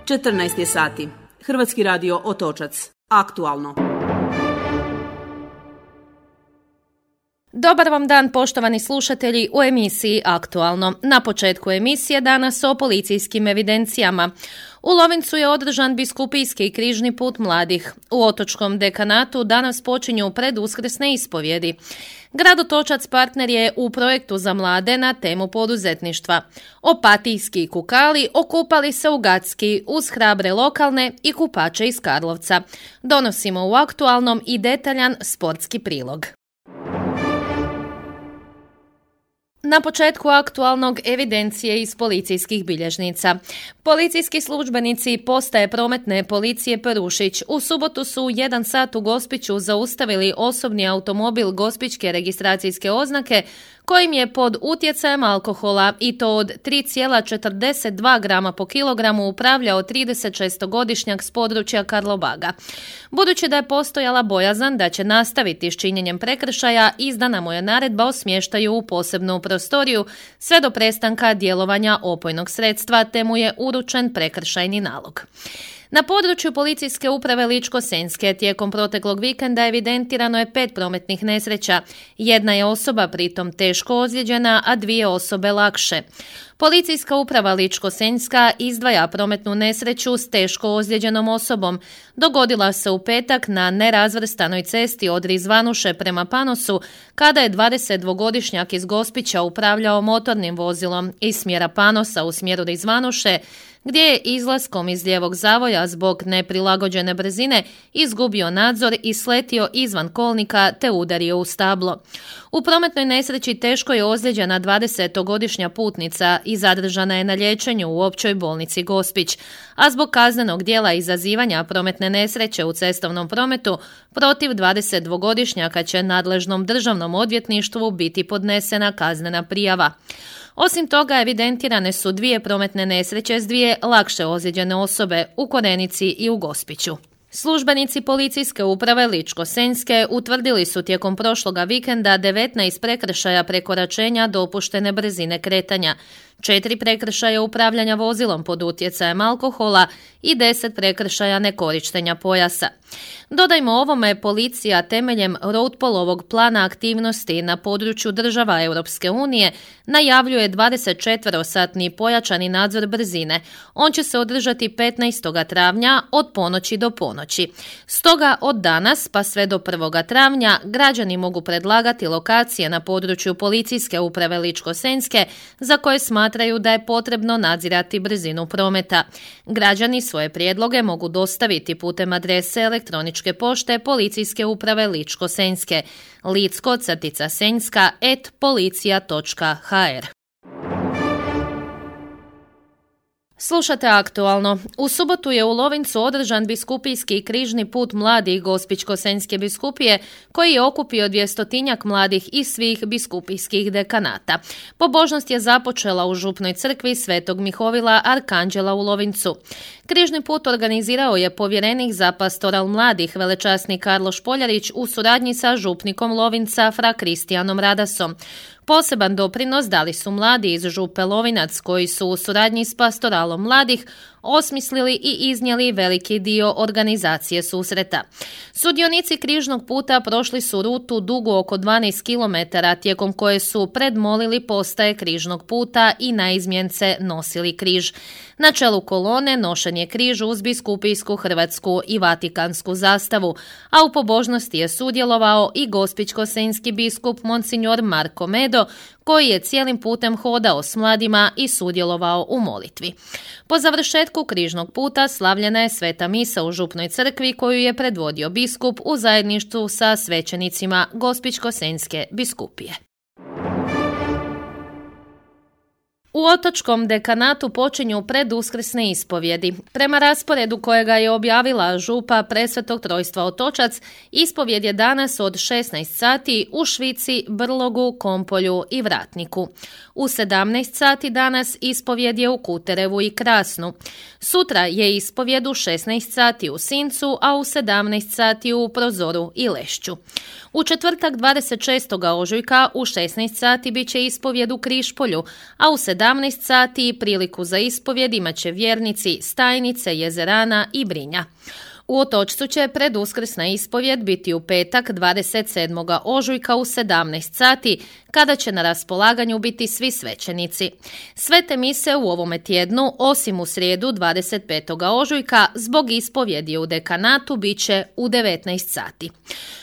14 je sati. Hrvatski radio Otočac. Aktualno. Dobar vam dan, poštovani slušatelji, u emisiji Aktualno. Na početku emisije danas o policijskim evidencijama. U Lovincu je održan biskupijski križni put mladih. U Otočkom dekanatu danas počinju preduskrsne ispovjedi. Grad Otočac partner je u projektu za mlade na temu poduzetništva. Opatijski kukali okupali se u Gacki uz hrabre lokalne i kupače iz Karlovca. Donosimo u Aktualnom i detaljan sportski prilog. Na početku Aktualnog evidencije iz policijskih bilježnica. Policijski službenici postaje prometne policije Perušić u subotu su u 1 sat u Gospiću zaustavili osobni automobil gospićke registracijske oznake kojim je pod utjecajem alkohola i to od 3,42 grama po kilogramu upravljao 36-godišnjak s područja Karlobaga. Budući da je postojala bojazan da će nastaviti s činjenjem prekršaja, izdana mu je naredba o smještaju u posebnu prostoriju sve do prestanka djelovanja opojnog sredstva, te mu je uručen prekršajni nalog. Na području policijske uprave Ličko-senjske tijekom proteklog vikenda evidentirano je 5 prometnih nesreća. Jedna je osoba pritom teško ozlijeđena, a 2 osobe lakše. Policijska uprava Ličko-senjska izdvaja prometnu nesreću s teško ozlijeđenom osobom. Dogodila se u petak na nerazvrstanoj cesti od Rizvanuše prema Panosu, kada je 22-godišnjak iz Gospića upravljao motornim vozilom iz smjera Panosa u smjeru Rizvanuše, gdje je izlaskom iz lijevog zavoja zbog neprilagođene brzine izgubio nadzor i sletio izvan kolnika te udario u stablo. U prometnoj nesreći teško je ozlijeđena 20-godišnja putnica i zadržana je na liječenju u općoj bolnici Gospić, a zbog kaznenog djela izazivanja prometne nesreće u cestovnom prometu protiv 22-godišnjaka će nadležnom državnom odvjetništvu biti podnesena kaznena prijava. Osim toga, evidentirane su 2 prometne nesreće s 2 lakše ozlijeđene osobe u Korenici i u Gospiću. Službenici policijske uprave Ličko-senjske utvrdili su tijekom prošloga vikenda 19 prekršaja prekoračenja dopuštene brzine kretanja, 4 prekršaja upravljanja vozilom pod utjecajem alkohola i 10 prekršaja nekorištenja pojasa. Dodajmo ovome, policija temeljem Roadpolovog plana aktivnosti na području država Europske unije najavljuje 24-satni pojačani nadzor brzine. On će se održati 15. travnja od ponoći do ponoći. Stoga od danas pa sve do 1. travnja građani mogu predlagati lokacije na području policijske uprave Ličko-senjske za koje smatraju da je potrebno nadzirati brzinu prometa. Građani svoje prijedloge mogu dostaviti putem adrese elektroničke pošte policijske uprave Ličko-senjske licko-senjska@policija.hr. Slušate Aktualno. U subotu je u Lovincu održan biskupijski križni put mladih Gospićko-senjske biskupije koji je okupio 200-tinjak mladih iz svih biskupijskih dekanata. Pobožnost je započela u župnoj crkvi Svetog Mihovila Arkanđela u Lovincu. Križni put organizirao je povjerenik za pastoral mladih velečasni Karlo Špoljarić u suradnji sa župnikom Lovinca fra Kristijanom Radasom. Poseban doprinos dali su mladi iz župe Lovinac koji su u suradnji s pastoralom mladih osmislili i iznijeli veliki dio organizacije susreta. Sudionici križnog puta prošli su rutu dugu oko 12 km tijekom koje su predmolili postaje križnog puta i na izmjence nosili križ. Na čelu kolone nošen je križ uz biskupijsku hrvatsku i vatikansku zastavu, a u pobožnosti je sudjelovao i gospićko-senjski biskup Monsignor Marko Medo, koji je cijelim putem hodao s mladima i sudjelovao u molitvi. Po završetku križnog puta slavljena je sveta misa u župnoj crkvi koju je predvodio biskup u zajedništvu sa svećenicima Gospićko-senjske biskupije. U Otočkom dekanatu počinju preduskrsne ispovjedi. Prema rasporedu kojega je objavila župa Presvetog Trojstva Otočac, ispovjed je danas od 16 sati u Švici, Brlogu, Kompolju i Vratniku. U 17 sati danas ispovjed je u Kuterevu i Krasnu. Sutra je ispovjed u 16 sati u Sincu, a u 17 sati u Prozoru i Lešću. U četvrtak 26. ožujka u 16 sati bit će ispovjed u Križpolju, a u 17 sati priliku za ispovjed imat će vjernici Stajnice, Jezerana i Brinja. U Otočcu će preduskrsna ispovjed biti u petak 27. ožujka u 17 sati, kada će na raspolaganju biti svi svećenici. Svete mise u ovome tjednu, osim u srijedu 25. ožujka, zbog ispovjedi u dekanatu bit će u 19 sati.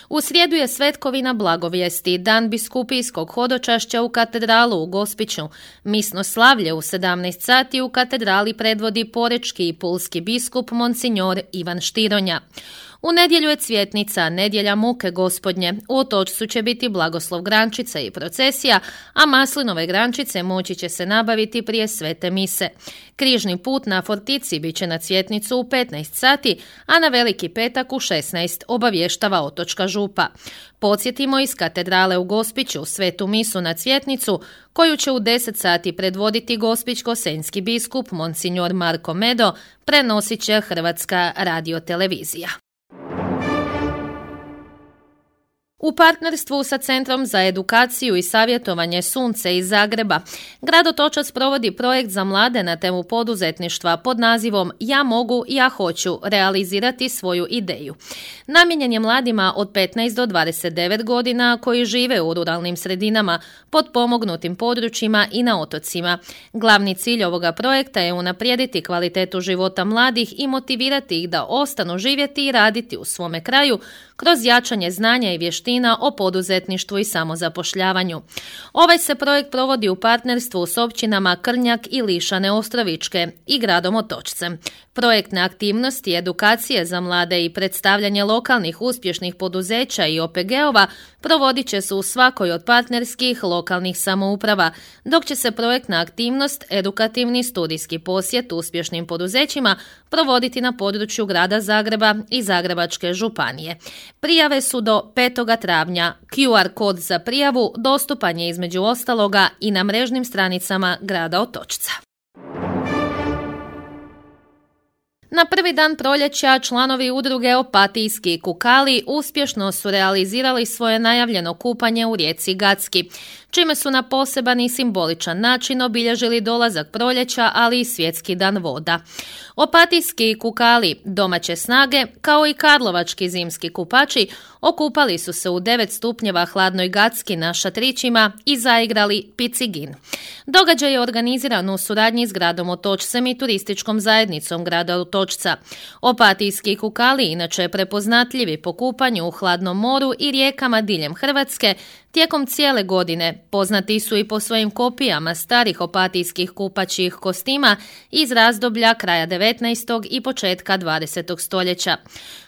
U srijedu je svetkovina blagovijesti, dan biskupijskog hodočašća u katedralu u Gospiću. Misno slavlje u 17 sati u katedrali predvodi porečki i pulski biskup Monsignor Ivan Štironja. U nedjelju je cvjetnica, nedjelja muke gospodnje. U Otočcu će biti blagoslov grančica i procesija, a maslinove grančice moći će se nabaviti prije svete mise. Križni put na Fortici bit će na cvjetnicu u 15 sati, a na Veliki petak u 16, obavještava Otočka župa. Podsjetimo, iz katedrale u Gospiću svetu misu na cvjetnicu, koju će u 10 sati predvoditi gospićko-senjski biskup Monsignor Marko Medo, prenosit će Hrvatska radiotelevizija. U partnerstvu sa Centrom za edukaciju i savjetovanje Sunce iz Zagreba, grad Otočac provodi projekt za mlade na temu poduzetništva pod nazivom Ja mogu, ja hoću realizirati svoju ideju. Namijenjen je mladima od 15 do 29 godina koji žive u ruralnim sredinama, potpomognutim područjima i na otocima. Glavni cilj ovoga projekta je unaprijediti kvalitetu života mladih i motivirati ih da ostanu živjeti i raditi u svome kraju kroz jačanje znanja i vještina o poduzetništvu i samozapošljavanju. Ovaj se projekt provodi u partnerstvu s općinama Krnjak i Lišane Ostrovičke i gradom Otočcem. Projektne aktivnosti, edukacije za mlade i predstavljanje lokalnih uspješnih poduzeća i OPG-ova provodit će se u svakoj od partnerskih lokalnih samouprava, dok će se projektna aktivnost, edukativni studijski posjet uspješnim poduzećima provoditi na području grada Zagreba i Zagrebačke županije. Prijave su do 5. travnja. QR kod za prijavu dostupan je između ostaloga i na mrežnim stranicama grada Otočca. Na prvi dan proljeća članovi udruge Opatijski kukali uspješno su realizirali svoje najavljeno kupanje u rijeci Gacki, čime su na poseban i simboličan način obilježili dolazak proljeća, ali i Svjetski dan voda. Opatijski kukali, domaće snage, kao i karlovački zimski kupači, okupali su se u 9 stupnjeva hladnoj Gacki na šatrićima i zaigrali Picigin. Događaj je organiziran u suradnji s gradom Otočcem i turističkom zajednicom grada Otočca. Opatijski kukali inače prepoznatljivi po kupanju u hladnom moru i rijekama diljem Hrvatske. Tijekom cijele godine poznati su i po svojim kopijama starih opatijskih kupačjih kostima iz razdoblja kraja 19. i početka 20. stoljeća.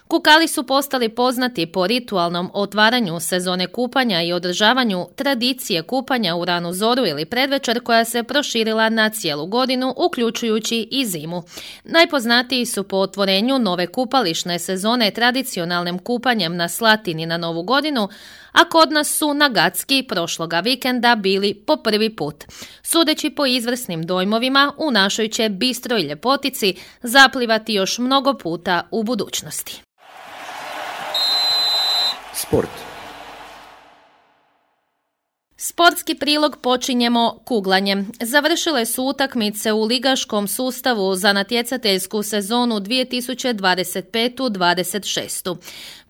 Kukali su postali poznati po ritualnom otvaranju sezone kupanja i održavanju tradicije kupanja u ranu zoru ili predvečer koja se proširila na cijelu godinu, uključujući i zimu. Najpoznatiji su po otvorenju nove kupališne sezone tradicionalnim kupanjem na Slatini na Novu godinu, a kod nas su na Gacki prošloga vikenda bili po prvi put. Sudeći po izvrsnim dojmovima, u našoj će bistroj ljepotici zaplivati još mnogo puta u budućnosti. Sport. Sportski prilog počinjemo kuglanjem. Završile su utakmice u ligaškom sustavu za natjecateljsku sezonu 2025-26.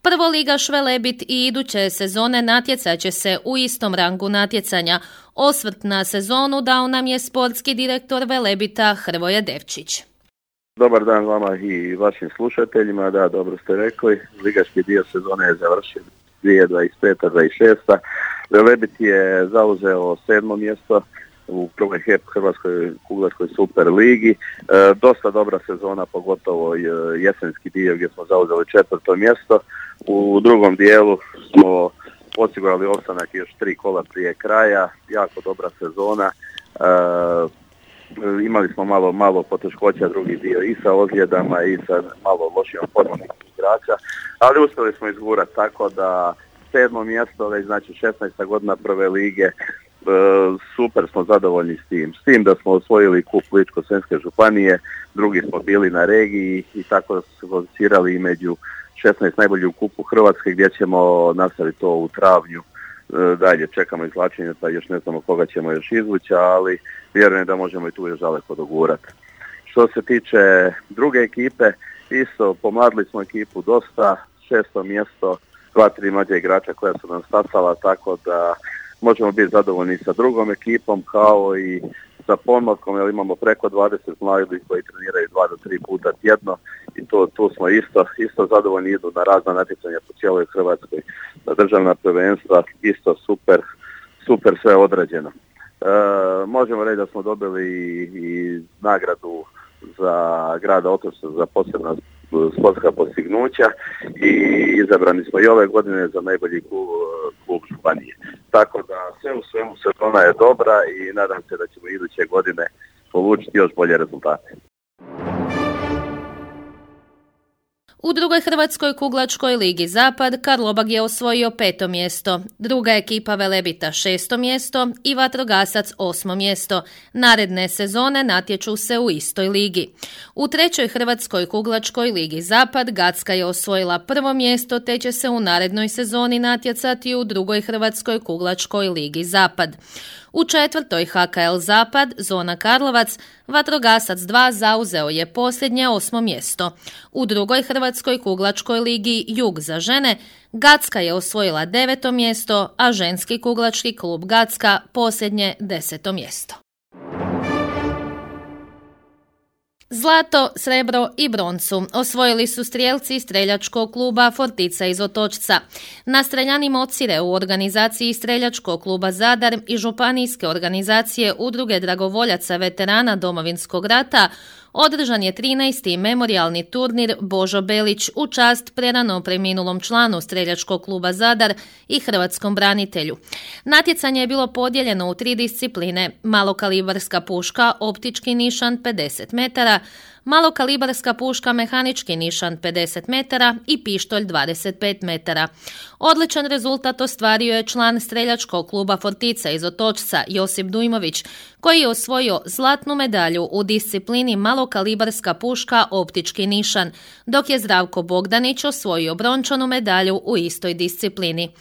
Prvoligaš Velebit i iduće sezone natjecat će se u istom rangu natjecanja. Osvrt na sezonu dao nam je sportski direktor Velebita Hrvoje Devčić. Dobar dan vama i vašim slušateljima. Da, dobro ste rekli. Ligaški dio sezone je završen 2025-26. Velebit je zauzeo 7. mjesto u prvoj Hrvatskoj kuglačkoj super ligi. Dosta dobra sezona, pogotovo jesenski dio gdje smo zauzeli 4. mjesto. U drugom dijelu smo osigurali ostanak još 3 kola prije kraja. Jako dobra sezona. Imali smo malo poteškoća drugi dio i sa ozljedama i sa malo lošijom formom igrača, ali uspjeli smo izgurati tako da 7. mjesto, već znači 16. godina prve lige super smo zadovoljni s tim da smo osvojili kup Ličko-senjske županije, drugi smo bili na regiji i tako da smo se kvalificirali i među 16 najboljih u kupu Hrvatske gdje ćemo nastaviti to u travnju. Dalje čekamo izvlačenje, pa još ne znamo koga ćemo još izvući, ali vjerujem da možemo i tu još daleko dogurati. Što se tiče druge ekipe, isto pomladili smo ekipu dosta, 6. mjesto, 2-3 mlađe igrača koja su nam stasala, tako da možemo biti zadovoljni sa drugom ekipom kao i sa pomlatkom, jer imamo preko 20 mladih koji treniraju 2 do 3 puta tjedno i tu smo isto zadovoljni, idu na razna natjecanja po cijeloj Hrvatskoj, na državna prvenstva, isto super sve odrađeno. Možemo reći da smo dobili i nagradu za grada Otočca za posebna sportska postignuća i izabrani smo i ove godine za najbolji klub županije. Tako da sve u svemu sezona je dobra i nadam se da ćemo iduće godine polučiti još bolje rezultate. U drugoj Hrvatskoj kuglačkoj ligi Zapad Karlobag je osvojio 5. mjesto, druga ekipa Velebita 6. mjesto i Vatrogasac 8. mjesto. Naredne sezone natječu se u istoj ligi. U trećoj Hrvatskoj kuglačkoj ligi Zapad Gacka je osvojila 1. mjesto te će se u narednoj sezoni natjecati u drugoj Hrvatskoj kuglačkoj ligi Zapad. U četvrtoj HKL Zapad, zona Karlovac, Vatrogasac 2 zauzeo je posljednje 8. mjesto. U drugoj Hrvatskoj kuglačkoj ligi Jug za žene, Gacka je osvojila 9. mjesto, a ženski kuglački klub Gacka posljednje 10. mjesto. Zlato, srebro i broncu osvojili su strijelci streljačkog kluba Fortica iz Otočca. Na Streljani Mocire u organizaciji streljačkog kluba Zadar i županijske organizacije Udruge dragovoljaca veterana Domovinskog rata održan je 13. memorijalni turnir Božo Belić u čast prerano preminulom članu streljačkog kluba Zadar i hrvatskom branitelju. Natjecanje je bilo podijeljeno u 3 discipline: malokalibarska puška, optički nišan 50 metara, malokalibarska puška mehanički nišan 50 metara i pištolj 25 metara. Odličan rezultat ostvario je član streljačkog kluba Fortica iz Otočca Josip Dujmović, koji je osvojio zlatnu medalju u disciplini malokalibarska puška optički nišan, dok je Zdravko Bogdanić osvojio brončanu medalju u istoj disciplini.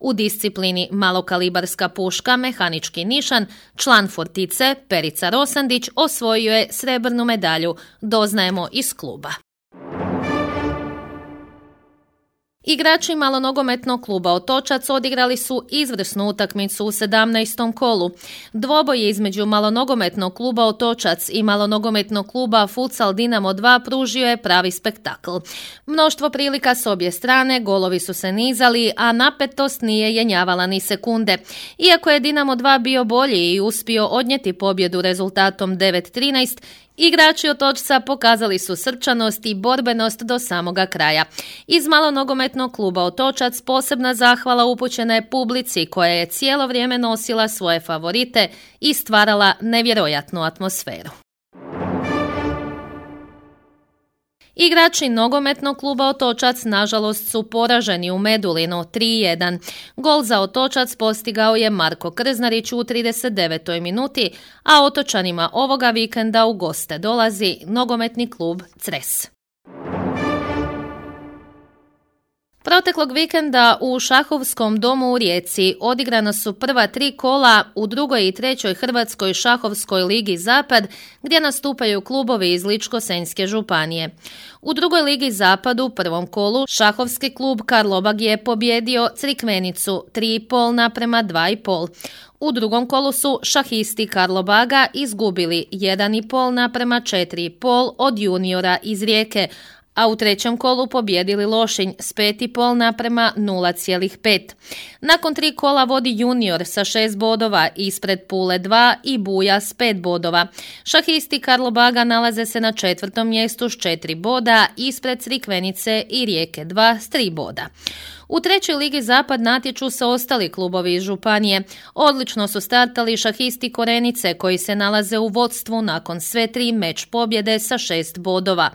U disciplini malokalibarska puška mehanički nišan član Fortice Perica Rosandić osvojio je srebrnu medalju, doznajemo iz kluba. Igrači malonogometnog kluba Otočac odigrali su izvrsnu utakmicu u 17. kolu. Dvoboj između malonogometnog kluba Otočac i malonogometnog kluba Futsal Dinamo 2 pružio je pravi spektakl. Mnoštvo prilika s obje strane, golovi su se nizali, a napetost nije jenjavala ni sekunde. Iako je Dinamo 2 bio bolji i uspio odnijeti pobjedu rezultatom 9-13, igrači Otočca pokazali su srčanost i borbenost do samoga kraja. Iz malonogometnog kluba Otočac posebna zahvala upućena je publici koja je cijelo vrijeme nosila svoje favorite i stvarala nevjerojatnu atmosferu. Igrači nogometnog kluba Otočac nažalost su poraženi u Medulinu 3-1. Gol za Otočac postigao je Marko Krznarić u 39. minuti, a Otočanima ovoga vikenda u goste dolazi nogometni klub Cres. Proteklog vikenda u Šahovskom domu u Rijeci odigrana su prva 3 kola u drugoj i trećoj Hrvatskoj šahovskoj ligi Zapad, gdje nastupaju klubovi iz Ličko-senjske županije. U drugoj ligi Zapad u prvom kolu šahovski klub Karlobag je pobjedio Crikvenicu 3,5:2,5. U drugom kolu su šahisti Karlobaga izgubili 1,5:4,5 od juniora iz Rijeke, a u trećem kolu pobjedili Lošinj s 5,5:0,5. Nakon 3 kola vodi junior sa 6 bodova ispred Pule 2 i Buja s 5 bodova. Šahisti Karlobaga nalaze se na 4. mjestu s 4 boda, ispred Crikvenice i Rijeke 2 s 3 boda. U trećoj ligi Zapad natječu se ostali klubovi iz županije. Odlično su startali šahisti Korenice koji se nalaze u vodstvu nakon sve 3 meč pobjede sa 6 bodova.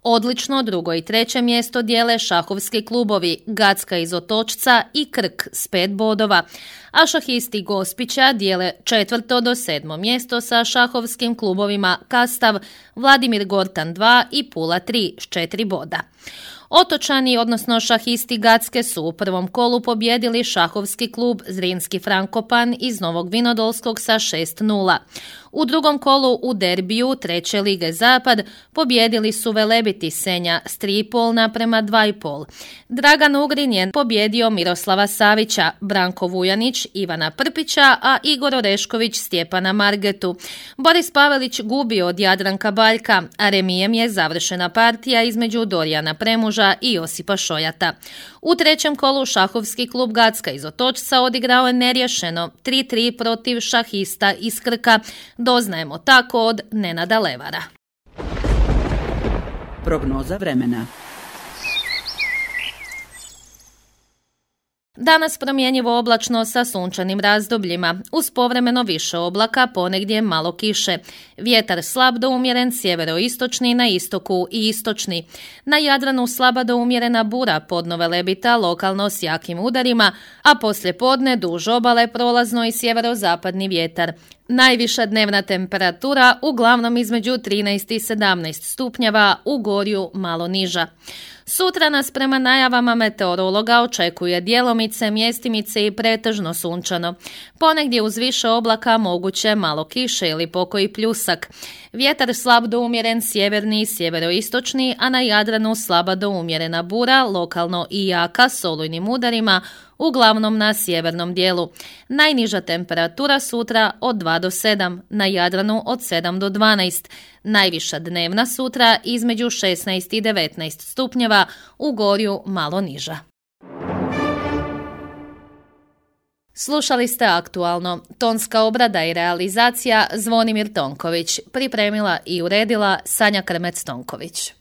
Odlično drugo i treće mjesto dijele šahovski klubovi Gacka iz Otočca i Krk s 5 bodova, a šahisti Gospića dijele 4. do 7. mjesto sa šahovskim klubovima Kastav, Vladimir Gortan 2 i Pula 3 s 4 boda. Otočani, odnosno šahisti Gacke, su u prvom kolu pobjedili šahovski klub Zrinski Frankopan iz Novog Vinodolskog sa 6:0. U drugom kolu u derbiju treće lige Zapad pobjedili su Velebiti Senja s 3,5 naprema 2,5. Dragan Ugrin je pobjedio Miroslava Savića, Branko Vujanić Ivana Prpića, a Igor Orešković Stjepana Margetu. Boris Pavelić gubio od Jadranka Baljka, a remijem je završena partija između Dorijana Premuža i Josipa Šojata. U trećem kolu šahovski klub Gacka iz Otočca odigrao je neriješeno 3:3 protiv šahista iz Krka. Doznajemo tako od Nenada Levara. Prognoza vremena. Danas promjenjivo oblačno sa sunčanim razdobljima, uz povremeno više oblaka, ponegdje malo kiše. Vjetar slab do umjeren sjeveroistočni, na istoku i istočni. Na Jadranu slaba do umjerena bura podno Velebita, lokalno s jakim udarima, a poslije podne duž obale prolazno i sjeverozapadni vjetar. Najviša dnevna temperatura uglavnom između 13 i 17 stupnjeva, u Gorju malo niža. Sutra nas prema najavama meteorologa očekuje djelomice, mjestimice i pretežno sunčano. Ponegdje uz više oblaka moguće malo kiše ili pokoji pljusak. Vjetar slab do umjeren sjeverni i sjeveroistočni, a na Jadranu slaba do umjerena bura, lokalno i jaka s olujnim udarima, uglavnom na sjevernom dijelu. Najniža temperatura sutra od 2 do 7, na Jadranu od 7 do 12. Najviša dnevna sutra između 16 i 19 stupnjeva, u Gorju malo niža. Slušali ste Aktualno. Tonska obrada i realizacija Zvonimir Tonković. Pripremila i uredila Sanja Krmec-Tonković.